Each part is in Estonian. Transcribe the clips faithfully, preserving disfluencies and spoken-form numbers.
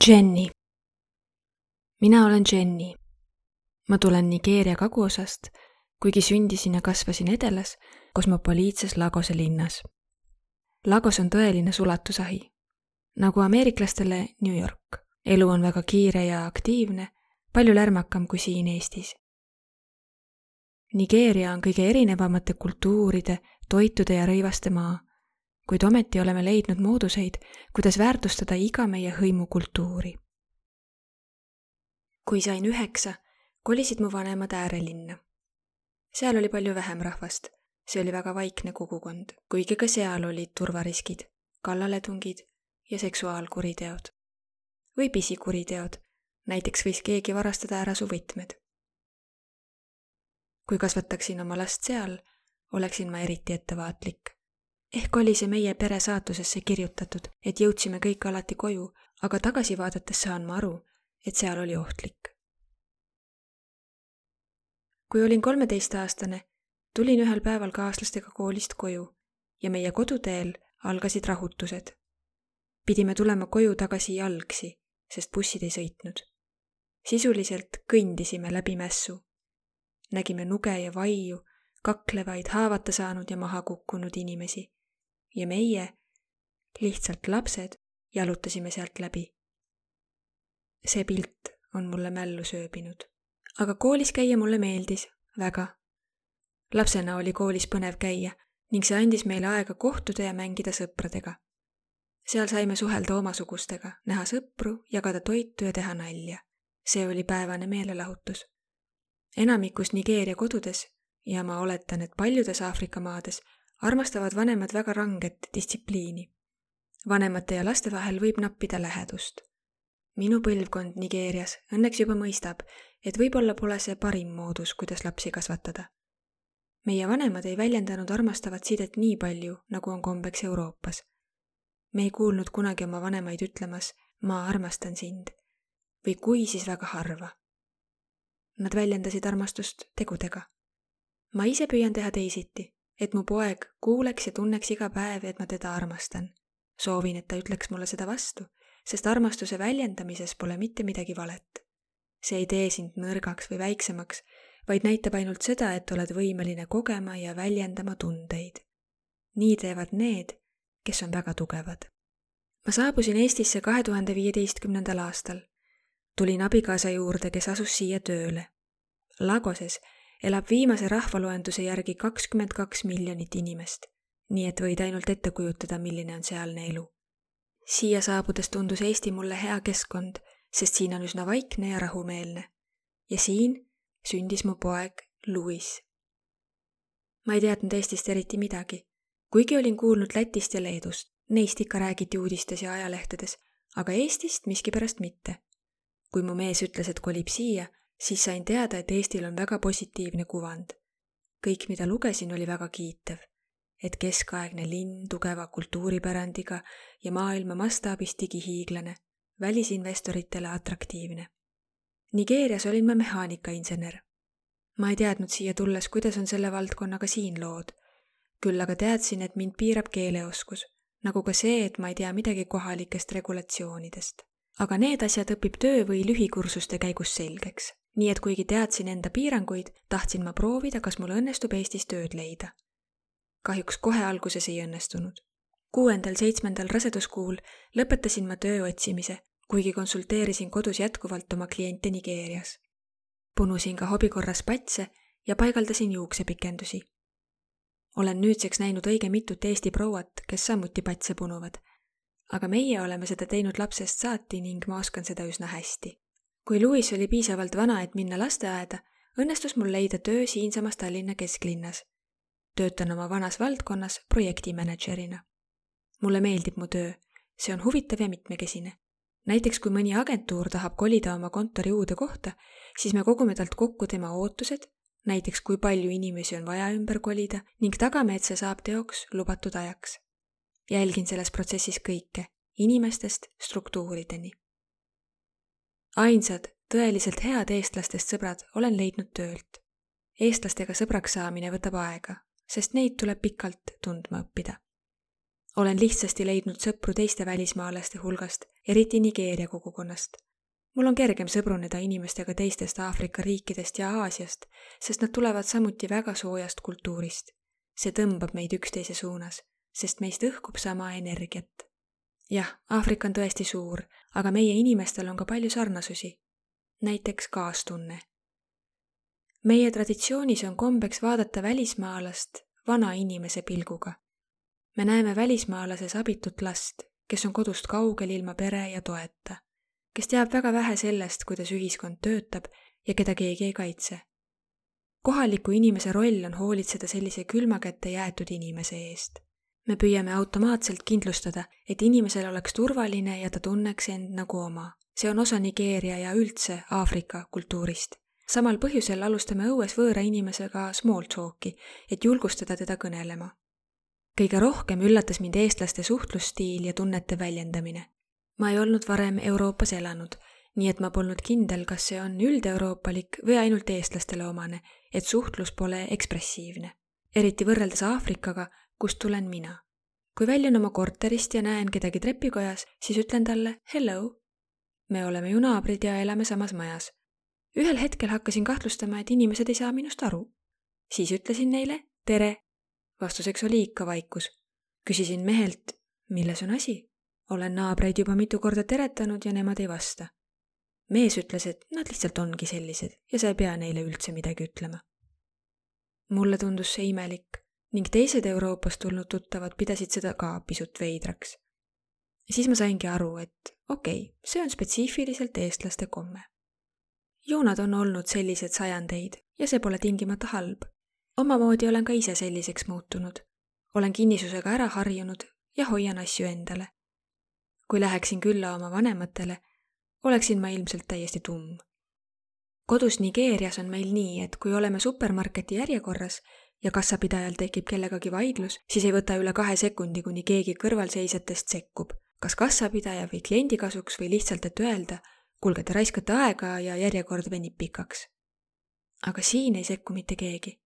Jenny. Mina olen Jenny. Ma tulen Nigeeria kaguosast, kuigi sündisin ja kasvasin edelas, kosmopoliitses Lagose linnas. Lagos on tõeline sulatusahi. Nagu ameeriklastele New York. Elu on väga kiire ja aktiivne, palju lärmakam kui siin Eestis. Nigeeria on kõige erinevamate kultuuride, toitude ja rõivaste maa, kuid ometi oleme leidnud mooduseid, kuidas väärtustada iga meie hõimukultuuri. Kui sain üheksa, kolisid mu vanemad äärelinna. Seal oli palju vähem rahvast, see oli väga vaikne kogukond, kuigi ka seal olid turvariskid, kallaletungid ja seksuaalkuriteod. Või pisikuriteod, näiteks võis keegi varastada ära su võtmed. Kui kasvataksin oma last seal, oleksin ma eriti ettevaatlik. Ehk oli see meie pere saatusesse kirjutatud, et jõudsime kõik alati koju, aga tagasi vaadates saan ma aru, et seal oli ohtlik. Kui olin kolmeteistaastane, tulin ühel päeval kaaslastega koolist koju ja meie koduteel algasid rahutused. Pidime tulema koju tagasi jalgsi, sest bussid ei sõitnud. Sisuliselt kõndisime läbi mässu. Nägime nuge ja vaiu, kaklevaid, haavata saanud ja maha kukkunud inimesi. Ja meie, lihtsalt lapsed, jalutasime sealt läbi. See pilt on mulle mällu sööbinud. Aga koolis käia mulle meeldis, väga. Lapsena oli koolis põnev käia ning see andis meile aega kohtuda ja mängida sõpradega. Seal saime suhelda omasugustega, näha sõpru, jagada toitu ja teha nalja. See oli päevane meelelahutus. Enamikus Nigeeria kodudes, ja ma oletan, et paljudes Aafrika maades, armastavad vanemad väga ranget distsipliini. Vanemate ja laste vahel võib nappida lähedust. Minu põlvkond Nigeerias õnneks juba mõistab, et võib-olla pole see parim moodus, kuidas lapsi kasvatada. Meie vanemad ei väljendanud armastavat sidet nii palju, nagu on kombeks Euroopas. Me ei kuulnud kunagi oma vanemaid ütlemas, ma armastan sind, või kui siis väga harva. Nad väljendasid armastust tegudega. Ma ise püüan teha teisiti, et mu poeg kuuleks ja tunneks iga päev, et ma teda armastan. Soovin, et ta ütleks mulle seda vastu, sest armastuse väljendamises pole mitte midagi valet. See ei tee sind nõrgaks või väiksemaks, vaid näitab ainult seda, et oled võimeline kogema ja väljendama tundeid. Nii teevad need, kes on väga tugevad. Ma saabusin Eestisse kahe tuhande viieteistkümnendal aastal. Tulin abikaasa juurde, kes asus siia tööle. Lagoses elab viimase rahvaloenduse järgi kakskümmend kaks miljonit inimest, nii et võid ainult ette kujutada, milline on sealne elu. Siia saabudes tundus Eesti mulle hea keskkond, sest siin on üsna vaikne ja rahumeelne. Ja siin sündis mu poeg Louis. Ma ei teadnud Eestist eriti midagi, kuigi olin kuulnud Lätist ja Leedust. Neist ikka räägiti uudistes ja ajalehtedes, aga Eestist miskipärast mitte. Kui mu mees ütles, et kolib siia, siis sain teada, et Eestil on väga positiivne kuvand. Kõik, mida lugesin, oli väga kiitev. Et keskaegne linn tugeva kultuuripärandiga ja maailma mastaabis digihiiglane, välisinvestoritele atraktiivne. Nigeerias olin ma mehaanikainsener. Ma ei teadnud siia tulles, kuidas on selle valdkonnaga siin lood. Küll aga teadsin, et mind piirab keeleoskus, nagu ka see, et ma ei tea midagi kohalikest regulatsioonidest. Aga need asjad õpib töö või lühikursuste käigus selgeks. Nii et kuigi teadsin enda piiranguid, tahtsin ma proovida, kas mul õnnestub Eestis tööd leida. Kahjuks kohe alguses ei õnnestunud. Kuuendal seitsmendal raseduskuul lõpetasin ma töö otsimise, kuigi konsulteerisin kodus jätkuvalt oma kliente Nigeerias. Punusin ka hobikorras patse ja paigaldasin juuksepikendusi. Olen nüüdseks näinud õige mitut Eesti prouat, kes samuti patse punuvad, aga meie oleme seda teinud lapsest saati ning ma oskan seda üsna hästi. Kui Louis oli piisavalt vana, et minna lasteaeda, õnnestus mul leida töö siinsamas Tallinna kesklinnas. Töötan oma vanas valdkonnas projektimanagerina. Mulle meeldib mu töö, see on huvitav ja mitmekesine. Näiteks kui mõni agentuur tahab kolida oma kontori uude kohta, siis me kogume talt kokku tema ootused, näiteks kui palju inimesi on vaja ümber kolida ning tagame, et see saab teoks lubatud ajaks. Jälgin selles protsessis kõike, inimestest struktuurideni. Ainsad, tõeliselt head eestlastest sõbrad olen leidnud töölt. Eestlastega sõbraks saamine võtab aega, sest neid tuleb pikalt tundma õppida. olen lihtsasti leidnud sõpru teiste välismaalaste hulgast, eriti Nigeeria kogukonnast. mul on kergem sõbruneda inimestega teistest Aafrika riikidest ja Aasiast, sest nad tulevad samuti väga soojast kultuurist. See tõmbab meid üksteise suunas, sest meist õhkub sama energiat. jah, Aafrika on tõesti suur, aga meie inimestel on ka palju sarnasusi. Näiteks kaastunne. Meie traditsioonis on kombeks vaadata välismaalast vana inimese pilguga. Me näeme välismaalases abitut last, kes on kodust kaugel ilma pere ja toeta, kes teab väga vähe sellest, kuidas ühiskond töötab ja keda keegi ei kaitse. Kohaliku inimese roll on hoolitseda sellise külma kätte jäetud inimese eest. Me püüame automaatselt kindlustada, et inimesel oleks turvaline ja ta tunneks end nagu oma. See on osa Nigeeria ja üldse Aafrika kultuurist. Samal põhjusel alustame õues võõra inimesega small talki, et julgustada teda kõnelema. Kõige rohkem üllatas mind eestlaste suhtlusstiil ja tunnete väljendamine. Ma ei olnud varem Euroopas elanud, nii et ma polnud kindel, kas see on üldeurooppalik või ainult eestlastele omane, et suhtlus pole ekspressiivne. Eriti võrreldes Aafrikaga, kust tulen mina. Kui väljun oma korterist ja näen kedagi trepikojas, siis ütlen talle hello. Me oleme ju naabrid ja elame samas majas. Ühel hetkel hakkasin kahtlustama, et inimesed ei saa minust aru. Siis ütlesin neile tere. Vastuseks oli ikka vaikus. Küsisin mehelt, milles on asi? Olen naabreid juba mitu korda teretanud ja nemad ei vasta. Mees ütles, et nad lihtsalt ongi sellised ja sa ei pea neile üldse midagi ütlema. Mulle tundus see imelik ning teised Euroopast tulnud tuttavad pidasid seda ka pisut veidraks. Siis ma saingi aru, et okei, okay, see on spetsiifiliselt eestlaste komme. Ju nad on olnud sellised sajandeid ja see pole tingimata halb. Omamoodi olen ka ise selliseks muutunud. Olen kinnisusega ära harjunud ja hoian asju endale. Kui läheksin külla oma vanematele, oleksin ma ilmselt täiesti tumm. Kodus Nigeerias on meil nii, et kui oleme supermarketi järjekorras ja kassapidajal tekib kellegagi vaidlus, siis ei võta üle kahe sekundi, kuni keegi kõrvalseisjatest sekkub. Kas kassapidaja või kliendi kasuks või lihtsalt, et öelda, kuulge, te raiskate aega ja järjekord venib pikaks. Aga siin ei sekku mitte keegi.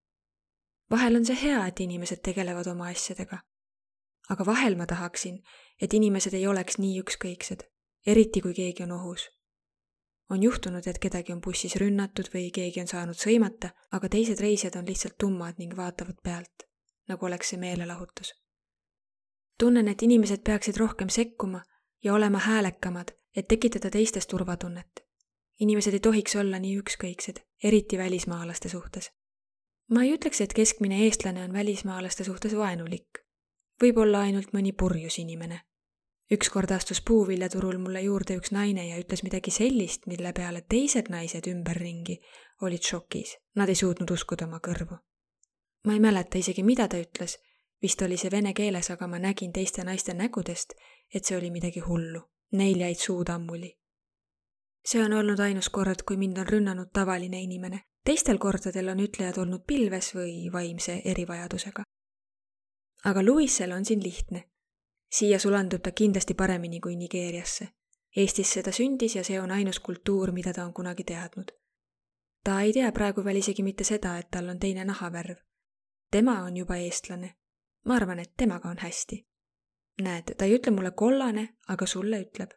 Vahel on see hea, et inimesed tegelevad oma asjadega. Aga vahel ma tahaksin, et inimesed ei oleks nii ükskõiksed, eriti kui keegi on ohus. On juhtunud, et kedagi on bussis rünnatud või keegi on saanud sõimata, aga teised reisijad on lihtsalt tummad ning vaatavad pealt, nagu oleks see meelelahutus. Tunnen, et inimesed peaksid rohkem sekkuma ja olema häälekamad, et tekitada teistes turvatunnet. Inimesed ei tohiks olla nii ükskõiksed, eriti välismaalaste suhtes. Ma ei ütleks, et keskmine eestlane on välismaalaste suhtes vaenulik. Võib olla ainult mõni purjus inimene. Ükskord astus puuviljaturul mulle juurde üks naine ja ütles midagi sellist, mille peale teised naised ümberringi olid šokis. Nad ei suutnud uskuda oma kõrvu. Ma ei mäleta isegi, mida ta ütles. Vist oli see vene keeles, aga ma nägin teiste naiste nägudest, et see oli midagi hullu. Neil jäid suud ammuli. See on olnud ainus kord, kui mind on rünnanud tavaline inimene. Teistel kordadel on ütlejad olnud pilves või vaimse erivajadusega. Aga Louisel on siin lihtne. Siia sulandub ta kindlasti paremini kui Nigeeriasse. Eestis seda sündis ja see on ainus kultuur, mida ta on kunagi teadnud. Ta ei tea praegu veel isegi mitte seda, et tal on teine nahavärv. Tema on juba eestlane. Ma arvan, et temaga on hästi. Näed, ta ei ütle mulle kollane, aga sulle ütleb.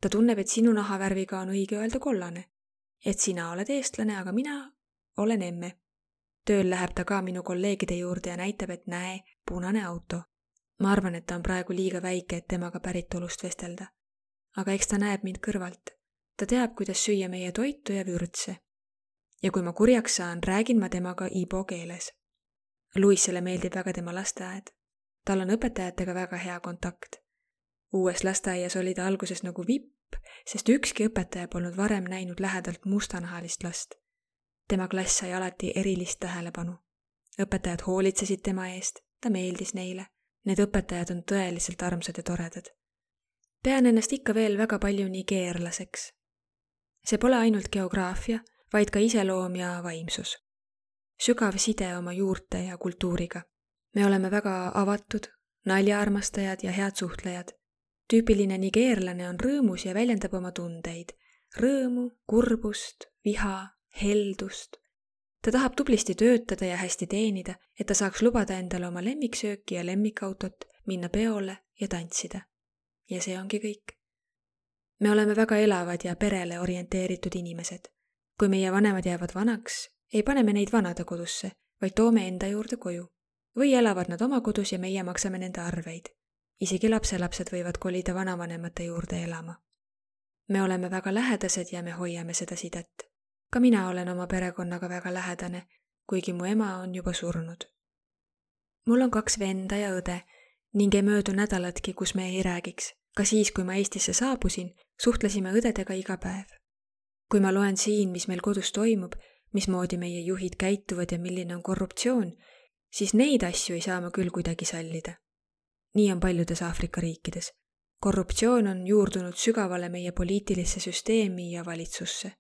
Ta tunneb, et sinu nahavärviga on õige öelda kollane. Et sina oled eestlane, aga mina olen emme. Tööl läheb ta ka minu kolleegide juurde ja näitab, et näe, punane auto. Ma arvan, et ta on praegu liiga väike, et temaga päritolust vestelda. Aga eks ta näeb mind kõrvalt. Ta teab, kuidas süüa meie toitu ja vürtse. Ja kui ma kurjaks saan, räägin ma temaga ibo keeles. Louisele meeldib väga tema lasteaed. Tal on õpetajatega väga hea kontakt. Uues lasteaias oli ta alguses nagu vipp, sest ükski õpetaja polnud varem näinud lähedalt mustanahalist last. Tema klass sai alati erilist tähelepanu. Õpetajad hoolitsesid tema eest, ta meeldis neile. Need õpetajad on tõeliselt armsad ja toredad. Pean ennast ikka veel väga palju nigeerlaseks. See pole ainult geograafia, vaid ka iseloom ja vaimsus. Sügav side oma juurte ja kultuuriga. Me oleme väga avatud, naljaarmastajad ja head suhtlejad. Tüüpiline nigeerlane on rõõmus ja väljendab oma tundeid. Rõõmu, kurbust, viha, heldust. Ta tahab tublisti töötada ja hästi teenida, et ta saaks lubada endale oma lemmiksööki ja lemmikautot, minna peole ja tantsida. Ja see ongi kõik. Me oleme väga elavad ja perele orienteeritud inimesed. Kui meie vanemad jäävad vanaks, ei pane me neid vanadekodusse, vaid toome enda juurde koju. Või elavad nad oma kodus ja meie maksame nende arveid. Isegi lapselapsed võivad kolida vanavanemate juurde elama. Me oleme väga lähedased ja me hoiame seda sidet. Ka mina olen oma perekonnaga väga lähedane, kuigi mu ema on juba surnud. Mul on kaks venda ja õde ning ei möödu nädalatki, kus me ei räägiks. Ka siis, kui ma Eestisse saabusin, suhtlesime õdedega iga päev. Kui ma loen siin, mis meil kodus toimub, mismoodi meie juhid käituvad ja milline on korruptsioon, siis neid asju ei saa ma küll kuidagi sallida. Nii on paljudes Aafrika riikides. Korruptsioon on juurdunud sügavale meie poliitilisse süsteemi ja valitsusse.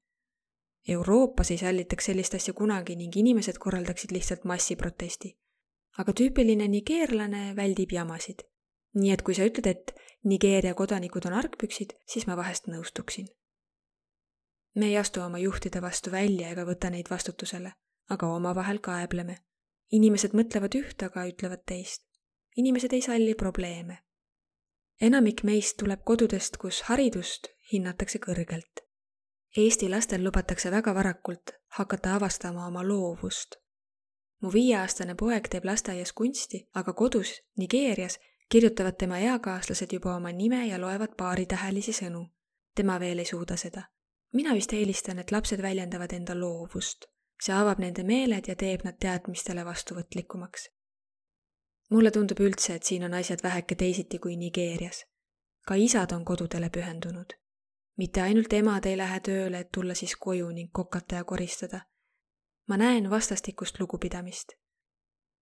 Euroopas ei sallitaks sellist asja kunagi ning inimesed korraldaksid lihtsalt massiprotesti. Aga tüüpiline nigeerlane väldib jamasid. Nii et kui sa ütled, et Nigeeria kodanikud on argpüksid, siis ma vahest nõustuksin. Me ei astu oma juhtide vastu välja ega võta neid vastutusele, aga omavahel kaebleme. Inimesed mõtlevad üht, aga ütlevad teist. Inimesed ei salli probleeme. Enamik meist tuleb kodudest, kus haridust hinnatakse kõrgelt. Eesti lastel lubatakse väga varakult hakata avastama oma loovust. Mu viieaastane poeg teeb lasteaias kunsti, aga kodus, Nigeerias, kirjutavad tema eakaaslased juba oma nime ja loevad paaritähelisi sõnu. Tema veel ei suuda seda. Mina vist eelistan, et lapsed väljendavad enda loovust. See avab nende meeled ja teeb nad teadmistele vastuvõtlikumaks. Mulle tundub üldse, et siin on asjad väheke teisiti kui Nigeerias. Ka isad on kodudele pühendunud. Mitte ainult emad ei lähe tööle, et tulla siis koju ning kokata ja koristada. Ma näen vastastikust lugupidamist.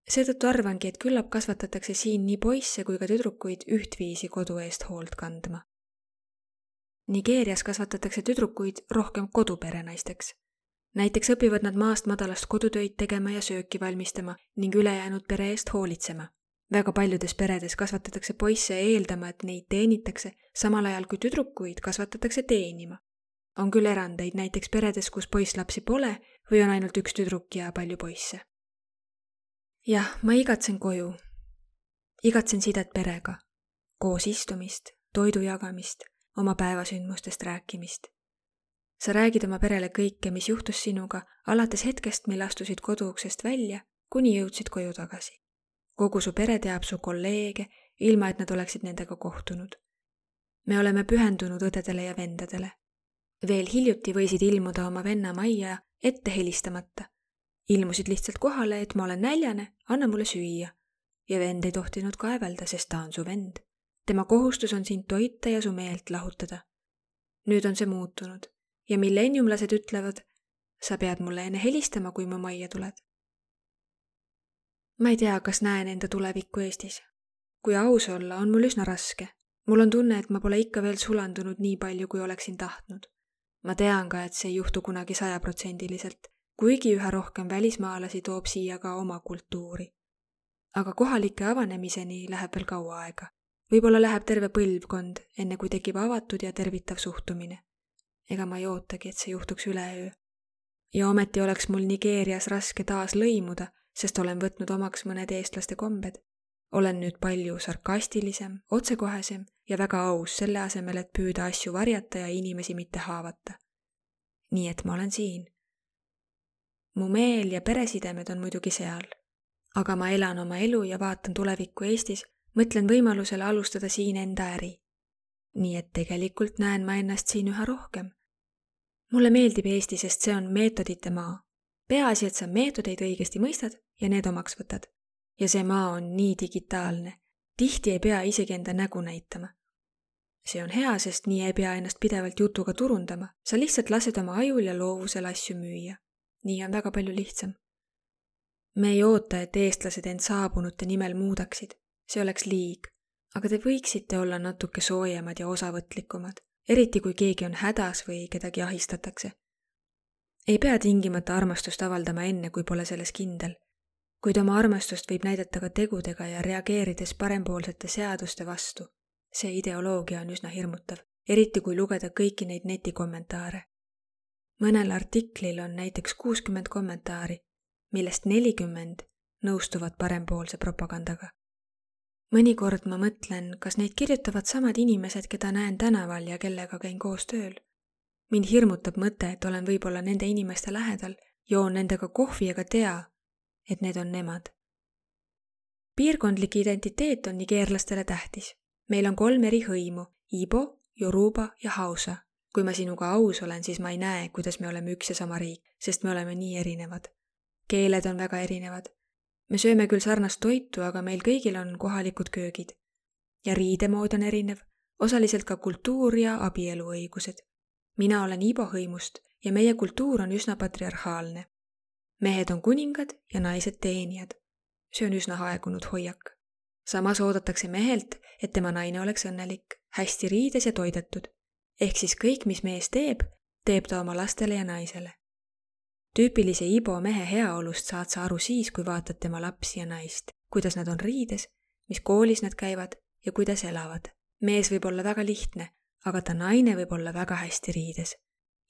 Seetõttu arvangi, et küllap kasvatatakse siin nii poisse kui ka tüdrukuid ühtviisi kodu eest hoolt kandma. Nigeerias kasvatatakse tüdrukuid rohkem koduperenaisteks. Näiteks õpivad nad maast madalast kodutöid tegema ja sööki valmistama ning ülejäänud pere eest hoolitsema. Väga paljudes peredes kasvatatakse poisse eeldama, et neid teenitakse, samal ajal kui tüdrukuid kasvatatakse teenima. On küll erandeid näiteks peredes, kus poisslapsi pole või on ainult üks tüdruk ja palju poisse. Jah, ma igatsen koju. Igatsen sidet perega. Koos istumist, toidu jagamist, oma päevasündmustest rääkimist. Sa räägid oma perele kõike, mis juhtus sinuga, alates hetkest, mil astusid koduuksest välja, kuni jõudsid koju tagasi. Kogu su pere teab su kolleege, ilma et nad oleksid nendega kohtunud. Me oleme pühendunud õdedele ja vendadele. Veel hiljuti võisid ilmuda oma venna majja ette helistamata. Ilmusid lihtsalt kohale, et ma olen näljane, anna mulle süüa. Ja vend ei tohtinud kaevelda, sest ta on su vend. Tema kohustus on sind toita ja su meelt lahutada. Nüüd on see muutunud. Ja millenniumlased ütlevad, sa pead mulle enne helistama, kui mu majja tuled. Ma ei tea, kas näen enda tulevikku Eestis. Kui aus olla, on mul üsna raske. Mul on tunne, et ma pole ikka veel sulandunud nii palju, kui oleksin tahtnud. Ma tean ka, et see ei juhtu kunagi sajaprotsendiliselt, kuigi üha rohkem välismaalasi toob siia ka oma kultuuri. Aga kohalike avanemiseni läheb veel kaua aega. Võib-olla läheb terve põlvkond, enne kui tekib avatud ja tervitav suhtumine. Ega ma ei ootagi, et see juhtuks üleöö. Ja ometi oleks mul Nigeerias raske taas lõimuda, sest olen võtnud omaks mõned eestlaste kombed. Olen nüüd palju sarkastilisem, otsekohesem ja väga aus selle asemel, et püüda asju varjata ja inimesi mitte haavata. Nii et ma olen siin. Mu meel ja peresidemed on muidugi seal. Aga ma elan oma elu ja vaatan tulevikku Eestis, mõtlen võimalusele alustada siin enda äri. Nii et tegelikult näen ma ennast siin üha rohkem. Mulle meeldib Eesti, sest see on meetodite maa. Peaasi, et sa meetodeid õigesti mõistad ja need omaks võtad. Ja see maa on nii digitaalne. Tihti ei pea isegi enda nägu näitama. See on hea, sest nii ei pea ennast pidevalt jutuga turundama. Sa lihtsalt lased oma ajul ja loovusel asju müüa. Nii on väga palju lihtsam. Me ei oota, et eestlased end saabunute nimel muudaksid. See oleks liig. Aga te võiksite olla natuke soojemad ja osavõtlikumad. Eriti kui keegi on hädas või kedagi ahistatakse. Ei pea tingimata armastust avaldama enne, kui pole selles kindel. Kuid oma armastust võib näidata ka tegudega ja reageerides parempoolsete seaduste vastu. See ideoloogia on üsna hirmutav, eriti kui lugeda kõiki neid netikommentaare. Mõnel artiklil on näiteks kuuskümmend kommentaari, millest nelikümmend nõustuvad parempoolse propagandaga. mõnikord ma mõtlen, kas neid kirjutavad samad inimesed, keda näen tänaval ja kellega käin koos tööl. Mind hirmutab mõte, et olen võib-olla nende inimeste lähedal, joon nendega kohvi ega tea, et need on nemad. Piirkondlik identiteet on nigeerlastele tähtis. Meil on kolm eri hõimu, Ibo, Yoruba ja Hausa. Kui ma sinuga aus olen, siis ma ei näe, kuidas me oleme üks ja sama riik, sest me oleme nii erinevad. Keeled on väga erinevad. Me sööme küll sarnast toitu, aga meil kõigil on kohalikud köögid. Ja riidemood on erinev, osaliselt ka kultuur ja abieluõigused. Mina olen Ibo hõimust ja meie kultuur on üsna patriarhaalne. Mehed on kuningad ja naised teenijad. See on üsna aegunud hoiak. Samas oodatakse mehelt, et tema naine oleks õnnelik, hästi riides ja toidetud. Ehk siis kõik, mis mees teeb, teeb ta oma lastele ja naisele. Tüüpilise Ibo mehe heaolust saad sa aru siis, kui vaatad tema lapsi ja naist, kuidas nad on riides, mis koolis nad käivad ja kuidas elavad. Mees võib olla väga lihtne, aga ta naine võib olla väga hästi riides.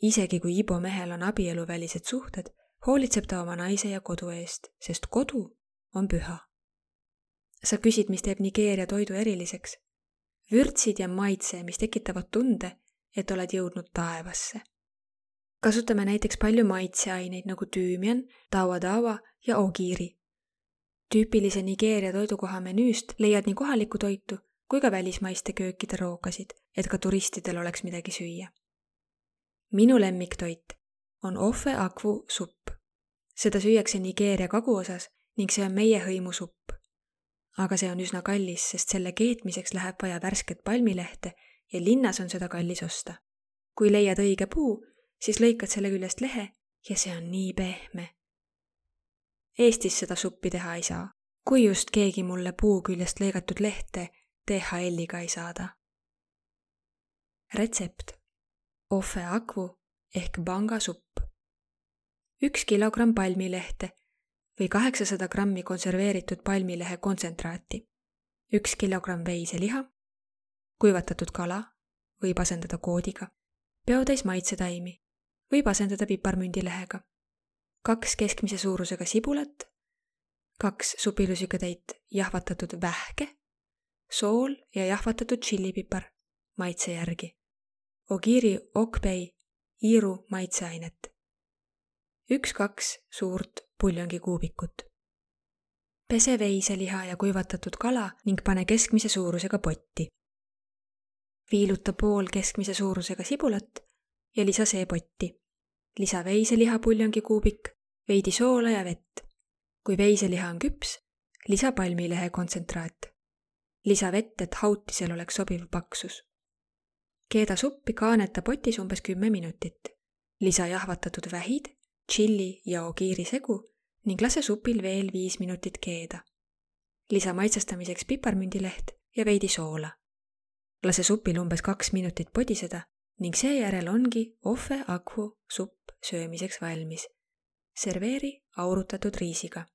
Isegi kui Ibo mehel on abieluvälised suhted, hoolitseb ta oma naise ja kodu eest, sest kodu on püha. Sa küsid, mis teeb Nigeeria toidu eriliseks. Vürtsid ja maitse, mis tekitavad tunde, et oled jõudnud taevasse. Kasutame näiteks palju maitseaineid nagu tüümian, tawa-tawa ja ogiiri. Tüüpilise Nigeeria toidukoha menüüst leiad nii kohalikku toitu kui ka välismaiste köökide rookasid, et ka turistidel oleks midagi süüa. Minu lemmiktoit on ofe akvu supp. Seda süüakse Nigeeria kaguosas ning see on meie hõimu supp. Aga see on üsna kallis, sest selle keetmiseks läheb vaja värsket palmilehte ja linnas on seda kallis osta. Kui leiad õige puu, siis lõikad selle küljest lehe ja see on nii pehme. Eestis seda suppi teha ei saa, kui just keegi mulle puu küljest lõigatud lehte D H L-iga ei saada. Retsept. Ofe akvu ehk banga supp. Üks kilogramm palmilehte või kaheksasada grammi konserveeritud palmilehe kontsentraati. Üks kilogramm veiseliha, kuivatatud kala, võib asendada koodiga, peotäis maitsetaimi, võib asendada piparmündilehega, kaks keskmise suurusega sibulat, kaks supilusikatäit jahvatatud vähke, sool ja jahvatatud tšillipipar maitse järgi, ogiiri okpei iiru maitseainet, üks-kaks suurt puljongi kuubikut. Pese veiseliha ja kuivatatud kala ning pane keskmise suurusega potti. Viiluta pool keskmise suurusega sibulat ja lisa see potti. Lisa veiseliha puljongi kuubik, veidi soola ja vett. Kui veiseliha on küps, lisa palmilehe kontsentraat. Lisa vett, et hautisel oleks sobiv paksus. Keeda suppi kaaneta potis umbes kümme minutit. Lisa jahvatatud vähid, tšilli ja ogiiri segu ning lase supil veel viis minutit keeda. Lisa maitsestamiseks piparmündileht ja veidi soola. Lase supil umbes kaks minutit podiseda ning seejärel ongi ofe akvu supp söömiseks valmis. Serveeri aurutatud riisiga.